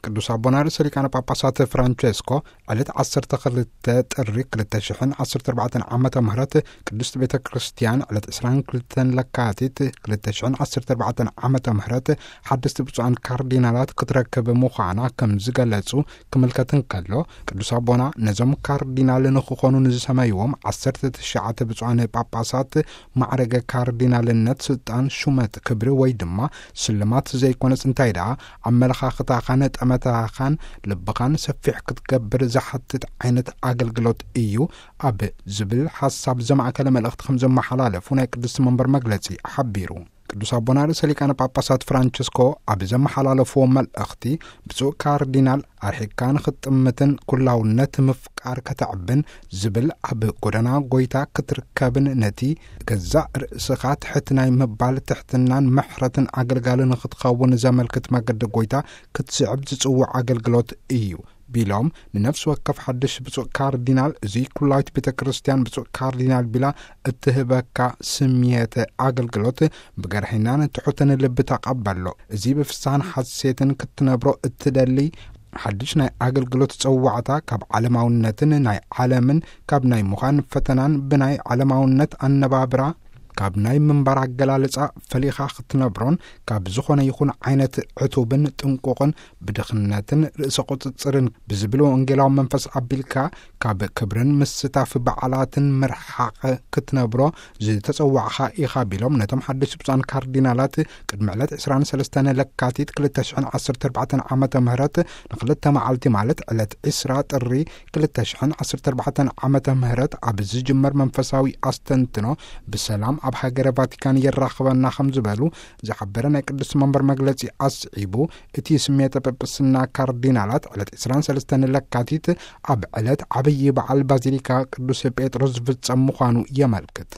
ቅዱስ ኣቦና ርእሰ ሊቃነ ጳጳሳት ፍራንቸስኮ ዕለት ዓሰርተ ክልተ ጥሪ ክልተ ሽሕን ዓሰርተ ኣርባዕተን ዓመተ ምህረት ቅድስት ቤተ ክርስቲያን ዕለት ዕስራን ክልተን ለካቲት ክልተ ሽሕን ዓሰርተ ኣርባዕተን ዓመተ ምህረት ሓደስቲ ብፁዓን ካርዲናላት ክትረክብ ምዃና ከም ዝገለጹ ክምልከት እንከሎ፣ ቅዱስ ኣቦና ነዞም ካርዲናል ንኽኾኑ ንዝሰመይዎም ዓሰርተ ትሽዓተ ብፁዓን ጳጳሳት ማዕረገ ካርዲናልነት ስልጣን ሹመት ክብሪ ወይ ድማ ስልማት ዘይኮነስ እንታይ ደኣ ኣመለኻኽታኻን ጠመታኻን ልብኻን ሰፊሕ ክትገብር ዝሓትት ዓይነት ኣገልግሎት እዩ ኣብ ዝብል ሓሳብ ዘማእከለ መልእኽቲ ከም ዘመሓላለፉ ናይ ቅድስቲ መንበር መግለጺ ሓቢሩ። ቅዱስ ኣቦና ርእሰ ሊቃነ ጳጳሳት ፍራንቸስኮ ኣብ ዘመሓላለፍዎ መልእኽቲ፣ ብፁዕ ካርዲናል ኣርሒቅካ ንኽትጥምትን ኩላውነት ምፍቃር ከተዕብን ዝብል ኣብ ጎደና ጎይታ ክትርከብን ነቲ ገዛእ ርእስኻ ትሕት ናይ ምባል ትሕትናን ምሕረትን ኣገልጋሊ ንኽትኸውን ዘመልክት መገዲ ጎይታ ክትስዕብ ዝጽውዕ ኣገልግሎት እዩ ቢሎም፣ ንነፍሲ ወከፍ ሓድሽ ብፁዕ ካርዲናል እዚ ኩላዊት ቤተ ክርስቲያን ብፁዕ ካርዲናል ቢላ እትህበካ ስምየተ ኣገልግሎት ብገርሂናን ትሑትን ልቢ ተቐበሎ። እዚ ብፍስሃን ሓሴትን ክትነብሮ እትደሊ ሓድሽ ናይ ኣገልግሎት ጸዋዕታ ካብ ዓለማውነትን ናይ ዓለምን ካብ ናይ ምዃን ፈተናን ብናይ ዓለማውነት ኣነባብራ ካብ ናይ ምንባር ኣገላልጻ ፈሊኻ ክትነብሮን ካብ ዝኾነ ይኹን ዓይነት ዕቱብን ጥንቁቕን ብድኽነትን ርእሰ ቁጽጽርን ብዝብል ወንጌላዊ መንፈስ ኣቢልካ ካብ ክብርን ምስታፍ በዓላትን ምርሓቕ ክትነብሮ ዝተጸዋዕኻ ኢኻ ቢሎም፣ ነቶም ሓደሽቲ ብፁዓን ካርዲናላት ቅድሚ ዕለት ዕስራን ሰለስተን ለካቲት ክልተ ሽሕን ዓሰርተ ኣርባዕተን ዓመተ ምህረት ንክልተ መዓልቲ ማለት ዕለት ዕስራ ጥሪ ክልተ ሽሕን ዓሰርተ ኣርባዕተን ዓመተ ምህረት ኣብ ዝጅመር መንፈሳዊ ኣስተንትኖ ብሰላም ኣብ ሃገረ ቫቲካን የራኽበና ከም ዝበሉ ዝሓበረ ናይ ቅዱስ መንበር መግለጺ ኣስዒቡ፣ እቲ ስሜተ ጵጵስና ካርዲናላት ዕለት ዕስራን ሰለስተን ለካቲት ኣብ ዕለት ዓብዪ በዓል ባዚሊካ ቅዱስ ጴጥሮስ ዝፍጸም ምዃኑ የመልክት።